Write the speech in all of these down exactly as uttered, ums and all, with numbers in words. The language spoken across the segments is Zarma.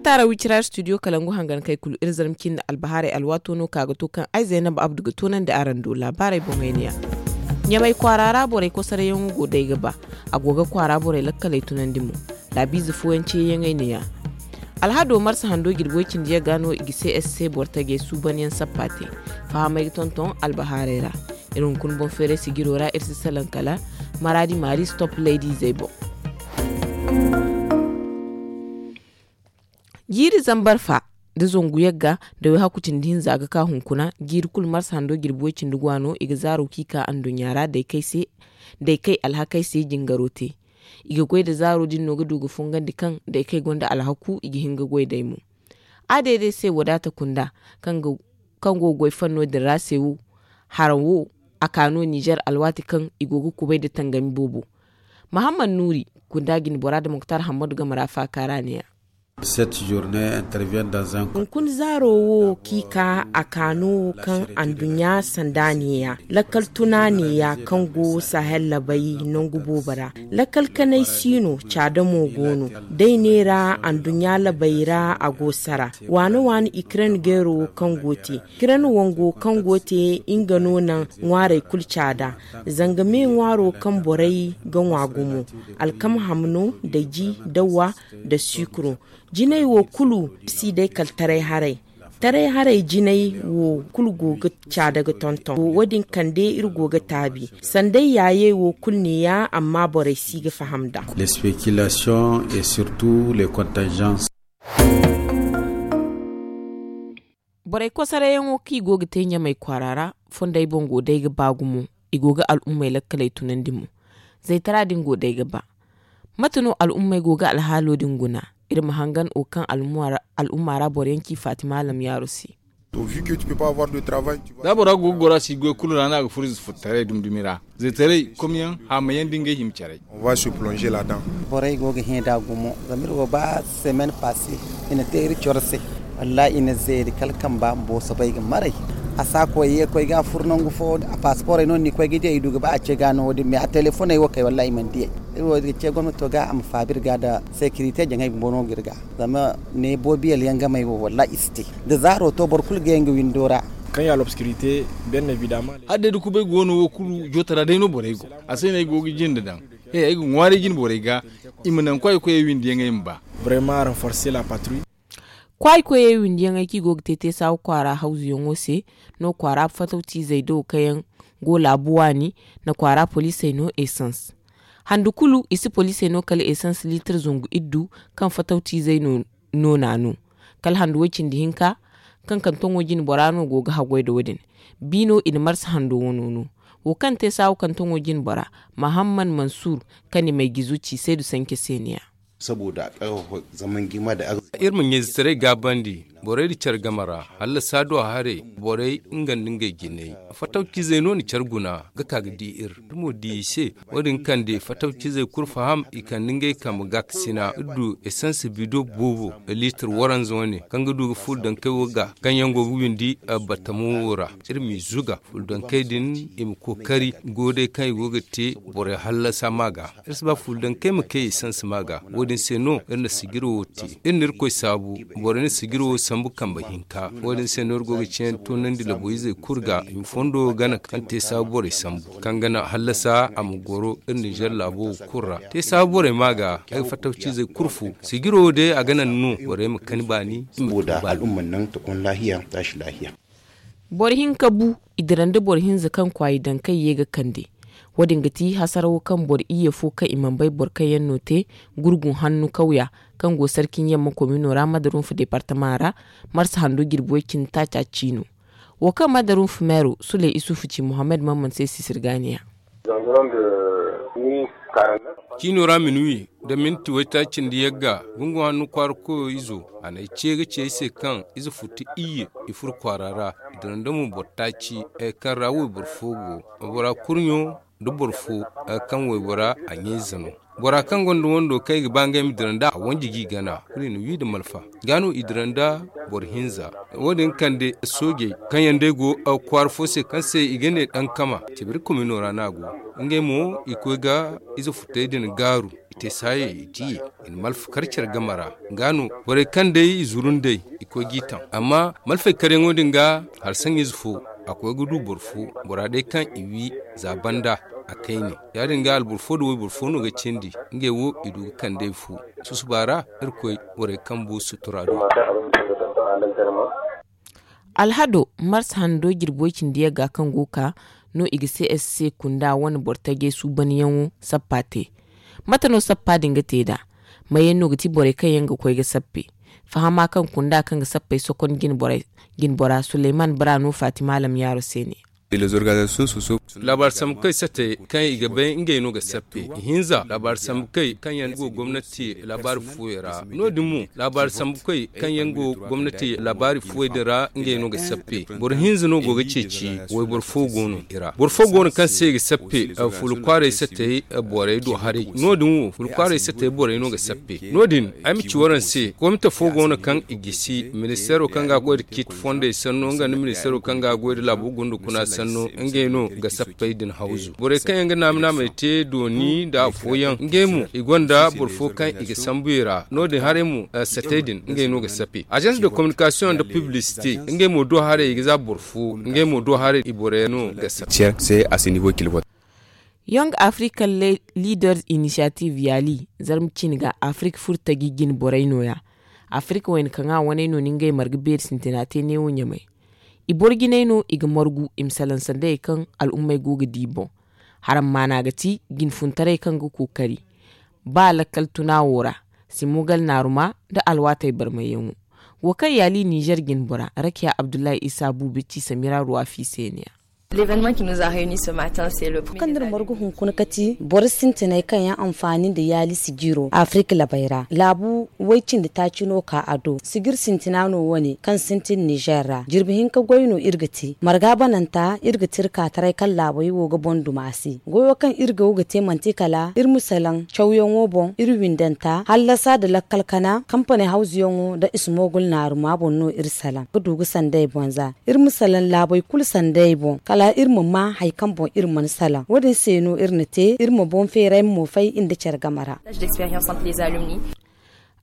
Taara wicira studio kalangu hangan kay kulu iri zarma cindi albahaarey alwaato no ka ga to kaŋ ay zaynab abdu ga toonandi araŋ do laabaarey boŋey ne ya. Ɲamay kwaara ra borey kosarayaŋo go day ga ba. A go ga kwaara borey lakkaley tunandi mo. Laabiize fooyaŋ ceeyaŋey ne ya. Alhado marsa hando jirbi way cindi yagga no i ga se s c boro tajey suubanyaŋ sappa te. Fahamey ga tonton albahaarey ra. Iri hunkuna boŋ feeray sijiro ra iri si salaŋ kala maraadi maari stop laydiizey boŋ. Jiiri zambar fa nda zangu yagga nda way hakku cindi hinza ga ka hunkuna jiiri kulu marsa hando jirbi way cindi gwa no i ga zaaro kaŋ i ka anduɲɲa ra day kay se. Day kay alhakey se jingaro te. I ga goy nda zaaro din no ga du ga fungandi kaŋ day kay gonda alhaku i ga hin ga goy day mo. A day day se wadaata kunda kaŋ go ga goy fanno din ra se wo. Haraŋ wo a ka no nizer alwaati kaŋ i go ga kubay nda tangami boobo. Mahammad nuuri kunda jinbora nda muktar hammadu game ra faaka ra ne ya. Hunkuna zaaro wo kaŋ i ka a ka no kaŋ anduɲɲa sanda ne ya lakkal tuna ne ya kaŋ go sahel labay nangu boobo ra. Lakkal kanay si no caada mo go no. Day ne ra anduɲɲa labay ra a go sara waane waane ikren geero wo kaŋ go te. Kiraŋ wango kaŋ go te nga no naŋ ŋwaarey kulu caada. Zanga me ŋwaaro kaŋ borey ga ŋwa gumo alkama hamno nda ji nda wa nda sikuro. Jinay wo kulu si day kala taray haray. Taray haray jinay wo kulu go ga caada ga tonton wo- din kande iri go ga taabi. Sanday yaayey wo kulu ne ya amma borey si ga faham nd'a. Les spéculations et surtout les contingences. Borey kosarayaŋo kaŋ i go ga te ɲamey kwaara ra fondey boŋ go day ga ba gumo. I go ga al'ummey lakkaley tunandi mo. Zaytara din go day ga ba. Mate no al'ummey go ga alhaalo din guna? Iri ma hangan wo kaŋ al'umma ra boro yaŋ ci fatima alam yaaro se. Da bora go ga goro a si goy kulu ra no a ga furo ize furtaray dumi dumi ra. Zaytaray komyaŋ haamayaŋ da ngey hima caray. Borey go ga hẽ nd'a gumo zama iri wo ba semen passe i na te iri coro se. Wallahi i na zeeri kala kamba ma booso bay ga maray. A si a koy ye koy ga a furo nangu fo a pasaporey no ni koy ga di ay du ga ba a ce ga no wo- din mais a telefoney wo kay wallahi i mana di ay. Iri wo ga ce gomnato ga a ma faabi iri ga nda sekirite jaŋay bumbo no ga iri ga. Zama ne boobiyel yaŋ gamey wo wallahi i si te. Da zaaro to boro kulu ga yaŋ ga windo ra. Kaŋ ya lobskirite. Benne vidama. Hala day da kubay go no wo kulu jootara day no borey go. A se no ay go ga jinde daŋ. He ay ga ŋwaaray jine borey ga. I ma naŋ kwaay koyey windiyaŋey ma ba. Vraiment renforcer la patrouille. Kwaay koyey windiyaŋey kaŋ i go ga te teesaawa kwaara hawzuyaŋo se. No kwaara fatawciizey do kaŋ yaŋ go laabu waani. Na kwaara poliisey no esans. Handu kulu i si poliisey no kala esans liitir zangu iddu. Kaŋ fatawciizey no noona no. Kala handu way cindi hinka kaŋ kantoŋo jine bora no go ga haggoy nda wo- din. Biino i na marsa hando wano no. Wo kaŋ te saawa kantoŋo jine bora mahamman mansur, kaŋ i may gizo ci saydu sanke se ne ya. Saboda a karfafa zaman girma da arziki. Iri ma ɲayzetaray gaabandi borey nda care game ra. Hallasa do haray borey nga nda ngey jinay. Fatawcizey no na care guna ga ka ga di iri. Iri mo di i se. Wo- din kande fatawcizey kulu faham i kande ngey kambe ga ga sina iri du esans bido boobo liitir waranza wane kaŋ ga du ga furo dankey wo ga kaŋ yaŋ go ga windi batamo wo ra. Iri m'i zuga furo dankey din i ma kookari goodey kaŋ i go ga te borey hallasa ma ga. Iri si ba furo dankey ma kay esans ma ga. Wo- din se no iri na sijiro wo te. Iri na irkoy saabu borey na sijiro wo sambu kambe hinka. Wo- din se no iri go ga ceene toonandi laboyzey kulu ga i ma fondo gana kaŋ te saabu borey sambu kaŋ gana hallasa a ma goro iri ninzeer laabo wo kulu ra. Te saabu borey ma ga ay ga fatawcizey kulu fu sijiro wo day a ga naŋ no borey ma kani baani. Saboda al'umma naŋ ta kon laahiya taasi laahiya. Boro hinka bu i dira nda boro hinza kaŋ kwaayi daŋ kaŋ ye ga kande. Wo- din ga ti hasarawo kaŋ boro iyye fo kaŋ i mana bay boro kaŋ yaŋ no te gurgun hannu kawya kaŋ go sarkin yamma komino ra madarunfa departama ra. Marsa hando jirbi way cindi taaca ciino. Wo kaŋ madarunfa meero suley isufu ci muhammad mamman se sisirgaaniya. Ciino ra minuwi nda minti waytaaci nda yagga gungu hanno kwaara koyo izo a na ay ce ga ci ay se kaŋ ize futu iyye i furo kwaara ra. I dira nda mo boro taaci. Kaŋ ra wayboro fo go waybora kurɲo nda boro fo kaŋ waybora a ɲayze no. Bora kaŋ gonda wando kaŋ i ga ba ngey ma dira nd'a a wanji g'i gana. Kulu i na wi nda malfa ga no i dira nda boro hinza. Wo- din kande soojey kaŋ yaŋ day go kwaara fo se kaŋ se i ga ne dankama, tebiri komino ra no a go. Ngey mo i koy ga ize futey din gaaru, i te saayey i diye, i na malfa kar care game ra. Ga no borey kaŋ day i zuru nd'ey, i koy g'i taŋ. Amma malfey karyaŋo din ga, hari saŋ ize fo, a koy ga du boro fo, bora day kaŋ i wi za banda a kayne. Ya- din ga alboro fo nda wayboro fo no ga cindi. Ngey wo i du ga kand'ey fu. Susuba ra, irkoy borey kambu sutura do. Alhado, mars hando jirbi way cindi yagga kaŋ go ka no i ga csc kunda wane boro tajey suubanyaŋo sappa te. Mate no sappa din ga te nd'a? Mayaŋ no ga ti borey kaŋ yaŋ ga koy ga sappe? Fahama kaŋ kunda kaŋ ga sappey sokon jinbora suleyman bara no fatima alam yaaro se ne. Laabaari sambu kaŋ i satte kaŋ i ga bay ngey no ga sappe. Ihinza laabaari sambu kaŋ kaŋ yaŋ go gomnati laabaari fuwey ra no- din mo laabaari sambu kaŋ kaŋ yaŋ go gomnati laabaari fuwey din ra ngey no ga sappe. Boro hinza no go ga ceeci wayboro fo go no i ra boro fo go no kaŋ se i ga sappe. Fulu kwaaray sattey borey do haray no- din wo fulu kwaaray sattey borey no ga sappe. No- din ay ma ci waraŋ se komite fo go no kaŋ i gisi ministeero kaŋ ga a goy nda ciiti fondey sanno nga nda ministeero kaŋ ga a goy nda laabu gundukuna sanno ngey no ga sappey din hawzu borey kaŋ yaŋ ga naama naamey te dooni nda afooyaŋ ngey mo i gonda boro fo kaŋ i ga sambu i ra no- din haray mo sattey din ngey no ga sappe. Azans de kominikasiyoŋ nda piblisite ngey mo do haray i ga za boro fo ngey mo do haray i borey no ga sappe. Yong african leaders initiative yaali zarma cine ga afirka furo taji jine borey no- ya. Afirka wayna kaŋ a waney no ni ngey marga beeri sintina te neewo ɲamay. I boro jinay no i ga margu i ma salaŋ sandayey kaŋ al'ummey go ga di boŋ. Haram maana ga ti jinfuntaray kaŋ ga kookari ba lakkal tuna wo ra, simogal naaruma nda alwaatey barmayyaŋo. Wo kaŋ yaali ninzeer jinbora rakiya abdullahi isa buubi ci samira ruwafi se ne ya. Kaŋ nda iri margu hunkuna kati boro sintinay kaŋ yaŋ anfaani nda yaali sijiro afirka labay ra laabu way cindi taaci no ka a do sijir sintina no wane kaŋ sintin ninzeer ra jirbi hinka goy no iri ga te marga bananta iri ga te iri kaataray kaŋ laabey wo ga boŋ duma se goyo kaŋ iri go ga te manti kala iri ma salaŋ cawyaŋo boŋ iri windanta hallasa nda lakkal kana kampaney hawzuyaŋo nda ismogul naaruma boŋ no iri salaŋ ga du ga sandey boŋ za iri ma salaŋ laabey kulu sandey boŋ kala iri ma maa hari kaŋ boŋ iri mana salaŋ wo- din se no iri na te iri ma boŋ feeray ma mo fay nda care game ra.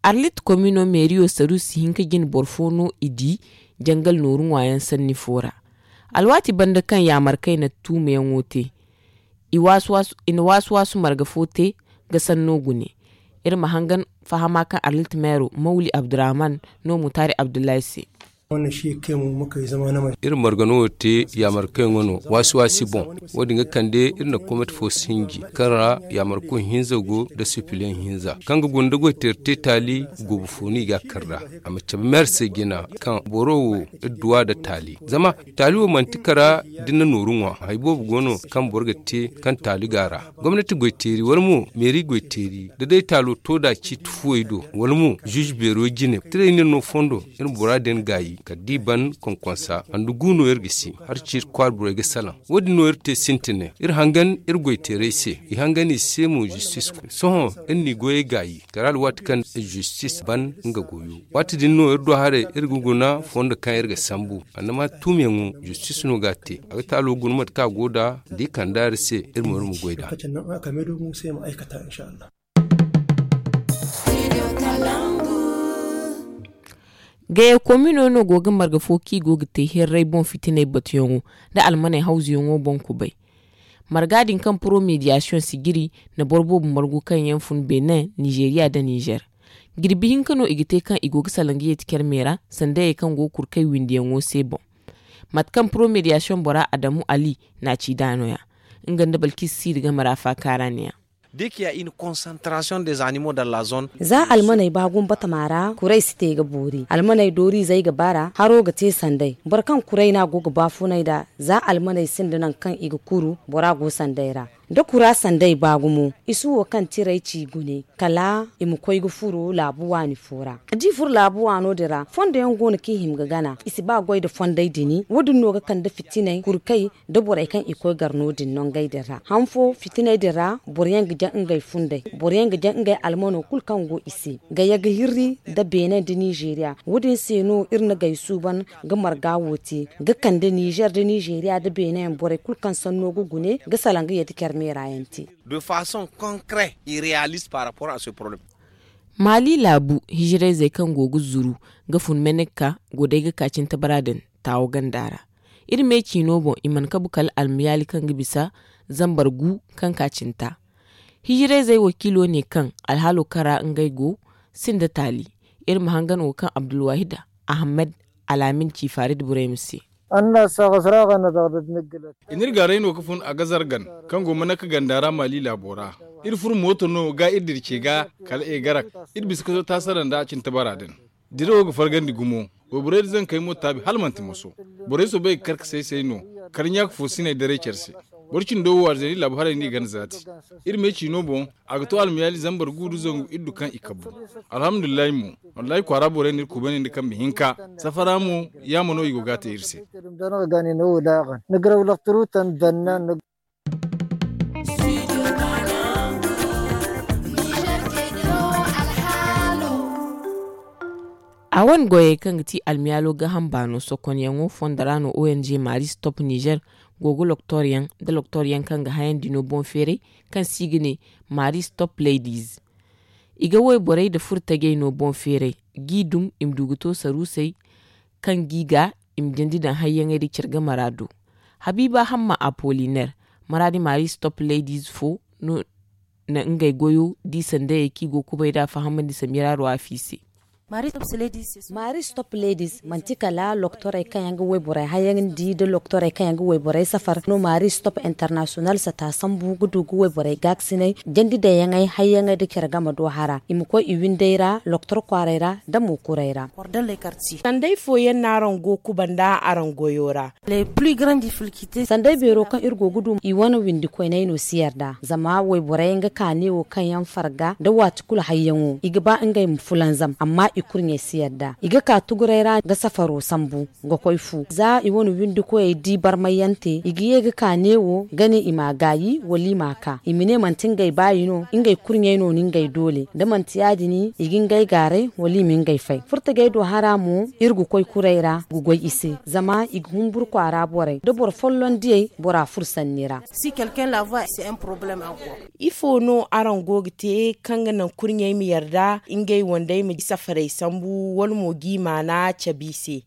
Arlit komino meeriyo saruusi hinka jine boro fo no i di jangal nooru ŋwaayaŋ sanni fo ra. Alwaati banda kaŋ yaamarkey na tuumayaŋo te i na waasu-waasu marga fo te ga sanno gune. Iri ma hangan fahama kaŋ arlit meero mawli abdurrahman no mutaari abdullahi se. Iri margano wo te yaamarkayŋo no waasi-waasi boŋ. Wo- din ga kande iri na komit fo sinji kaŋ ra yaamarko hinza go nda sipiliyaŋ hinza kaŋ ga guna nda goyteeri te taali goobo fo no i ga a kar nd'a. A ma cabe meer se jina kaŋ boro wo iri duw'a nda taali zama taali wo manti kara da ni na nooru ŋwa hari boobo go no kaŋ boro ga te kaŋ taali go a ra. Gomnati goyteeri wala mo meeri goyteeri da day taalo to nd'a ciiti fuwey do wala mo zuuzu beero jine tirey no iri no fondo iri ma bora din gaayi kala da i ban konkonsa handu gu no iri ga si hari ciiti kwaara borey ga salaŋ. Wo- din no iri te sintine iri hangan iri goyteerey se i hangan i se mo zistis. Sohõ iri n'i goyey gaayi kala alwaati kaŋ zistis ban nga goyo waati din no iri do haray iri ga guna fondo kaŋ iri ga sambu annama tuumyaŋo zistis no ga a te a ga taalo guna mate kaŋ a go nd'a da i kand'a iri se iri ma iri ma goy nd'a. Gaya komino no go ga marga fo kaŋ i go ga te hirray boŋ fitinay batuyaŋo nda almaney hawzuyaŋo boŋ kubay. Marga din kaŋ poro mediyasiyoŋ si jiri na boro boobo margu kaŋ yaŋ fun benin nizeeriya nda nizer. Jirbi hinka no i ga te kaŋ i go ga salaŋ ga yeeti care me ra sandayey kaŋ go ga kurkay windiyaŋo se boŋ. Mate kaŋ poro mediyasiyoŋ bora adamu ali n'a ci nd'a no- ya nga nda balkis siiri game ra faakaara ne- ya. Za almaney ba gumbatama ra kuray si te ga boori almaney dooriizey ga bara haro ga te sanday boro kaŋ kuray no a go ga baafunay nd'a. Za almaney sinda nangu kaŋ i ga kuru bora go sanday ra. Da kura sanday ba gumo, i si wo kaŋ tiray ci gune kala i ma koy ga furo laabu waani fo ra. Da i furo laabu waano din ra, fondo yaŋ go no kaŋ i hima ga gana. I si ba goy nda fonday dini. Wo- din no ga kande fitinay kurkay nda borey kaŋ i koy gar no- din nongey din ra. Han fo fitinay din ra, boro yaŋ ga jaŋ ngey funday, boro yaŋ ga jaŋ ngey almano kulu kaŋ go i se, ga ye ga hirri nda beene nda nizeeriya. Wo- din se no iri na gay suuban ga marga wo te, ga kande nizer nda nizeeriya nda beene yaŋ borey kulu kaŋ sanno ga gune ga salaŋ ga ye da care meera yaŋ te. De façon concret et réaliste par rapport à ce problème. Maali laabu hijirayzey kaŋ go ga zuru ga fun menek ka go day ga ka cintabara din taawo ganda ra. Iri me ciino boŋ i mana kabu kala almayaali kaŋ ga bisa zambar gu kaŋ ka cinta. Hijirayzey wakiilo ne kaŋ alhaalo kara ngey go sinda taali. Iri ma hangan wo kaŋ abdulwahid ahmed alaamin ci farid burayma se. I n'iri gaaray no ga fun a ga zargan kaŋ go mana ka ganda ra maali laabo ra. Iri furo mooto no ga iri dira ce ga kala egarak. Iri bisa ka zo taasara nda cintabara din. Dirawo ga fargandi gumo. Wayborey da zankey mo taabi hala manti moso. Borey soobay ga kar ka say-say no. Kala ɲaaka fo sinay daray care se. Boro cindo wo alzari laabu haray no i gana zaati. Iri me ciino boŋ, a ga to almayaali zambar gu nda zangu iddu kaŋ i kabbu. Alhamdulillahi mo, wallahi kwaara borey no iri kubay ne nda kambe hinka. Safara mo, yaama no i go ga a te iri se. A wane goyey kaŋ ga ti almiyaalo ga hamba no sokonyaŋo fondo ra no ong maris top niger go ga loktoryaŋ nda loktoryaŋ kaŋ ga hayandi no boŋ feeray kaŋ se i ga ne maris top ladies. I ga wayborey nda furtajey no boŋ feeray g'i dum i ma du ga to saruusey kaŋ g'i ga i ma jandi daŋ hayyaŋey nda care game ra do. Habiiba hamma apoliner maraadi maris top ladies fo no na ngey goyo di sandayey kaŋ i go ga kubay nd'a fahamandi samira ruwafi se. Maris top ladies manti kala loktorey kaŋ yaŋ ga wayborey hayandi nda loktorey kaŋ yaŋ ga wayborey safar no maris top international sata sambu ga du ga wayborey gaakasinay jandi daŋyaŋey hayyaŋey nda care game do hara i ma koy i windey ra loktor kwaaray ra nda mo kuray ra. Sanday fooyaŋ no araŋ go ga kuba nda araŋ goyo ra. Sanday beero kaŋ iri go ga du i wane windi koyney no si yarda zama wayborey nga kaane wo kaŋ yaŋ farga nda waati kulu hayyaŋo i ga ba ngey ma fulanzam amma i kurɲey si yarda i ga ka tuguray ra ga safaro sambu ga koy fu za i wane windi koyey di barmayyaŋ te i ga ye ga kaane wo ga ne i m'a gaayi wala i m'a ka i ma ne manti ngey baayi no ngey kurɲey no na ngey doole da manti ya- din i ga ngey gaaray wala i ma ngey fay furtajey do hara mo iri ga koy kuray ra ga goy i se zama i ga humburu kwaara borey da boro folloŋ diyey bora furo sanni ra. Ifo no araŋ go ga te kaŋ ga naŋ kurɲey ma yarda ngey wandey ma safarey sambu wala mo g'i maana cabe i se?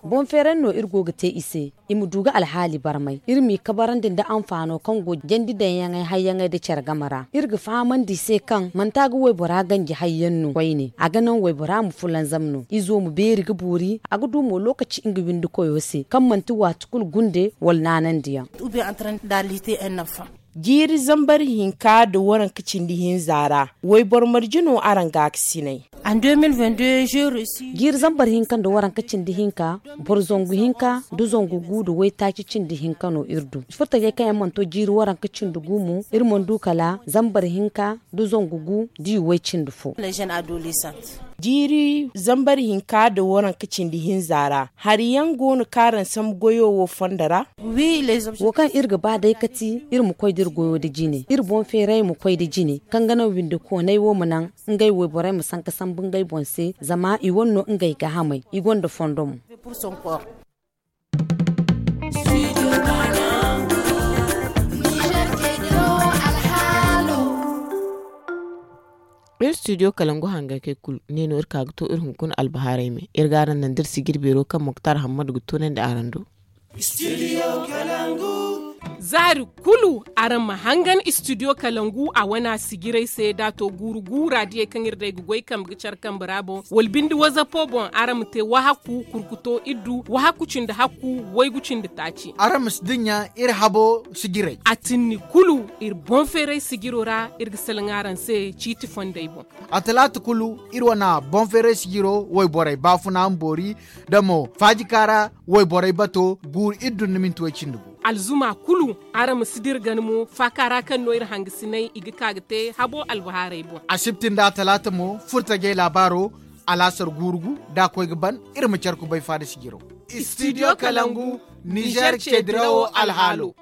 Boŋ feeray no iri go ga te i se i ma du ga alhaali barmay iri m'i kabarandi nda anfaano kaŋ go jandi daŋyaŋey hayyaŋey nda care game ra iri ga fahamandi i se kaŋ manti a ga waybora ganji hayyaŋ no koyne a ga naŋ waybora ma fulanzam no izo ma beeri ga boori a ga du mo lookaci nga windi koyo se kaŋ manti waati kulu gunde wala naanandiyaŋ. Jiiri zambar hinka nda waranka cindi hinza ra wayboro marje no araŋ gaakasinay? Jiiri zambar hinka nda waranka cindi hinka boro zangu hinka nda zangu gu nda waytaaci cindi hinka no iri du furtajey kaŋ yaŋ mana to jiiri waranka cindi gu mo iri mana du kala zambar hinka nda zangu gu da i way cindi fo. Jiiri zambar hinka nda waranka cindi hinza ra hari yaŋ go no kaŋ araŋ sambu goyo wo fondo ra? Wo kaŋ iri ga ba day ga ti iri ma koy da iri goyo nda jine iri boŋ feeray ma koy nda jine kaŋ ga naŋ windi koonay wo ma naŋ ngey wayborey ma sanka sambu ngey boŋ se zama i wane no ngey gaahamey i gonda fondo mo. Iri studio kalangu hangaykey kulu ne no iri ka ga to iri hunkuna albahaarey me iri ga araŋ naŋ da iri sijir beero kaŋ moktar hammadu ga toonandi araŋ do. Zaari kulu araŋ ma hangan studio kalangu a wane a sijirey se da a to guuru guura diyey kaŋ iri day ga goy kambe ga care kambe ra boŋ wala binde wazapo boŋ araŋ ma te wahakku kurkuto iddu wahakku cindi hakku waygu cindi taaci. Araŋ ma si dinya iri habo sijirey a tinni kulu iri boŋ feeray sijiro ra iri ga salaŋ araŋ se ciiti fondey boŋ. A talaata kulu iri wane boŋ feeray sijiro wayborey baafuna ma boori da mo faajikaara wayborey bato guuru iddu nda minti way cindi gu. alzuma kulu. Araŋ ma si dira gana mo faaka ra kaŋ no iri hangasinay i ga ka ga te habo albahaarey boŋ. Asibti nda talaata mo furtajey laabaaro. Alaasar guurugu da a koy ga ban. Iri ma care kubay faada sijiro. Istidiyo kalangu, nizeer ceedirawo alhaalo.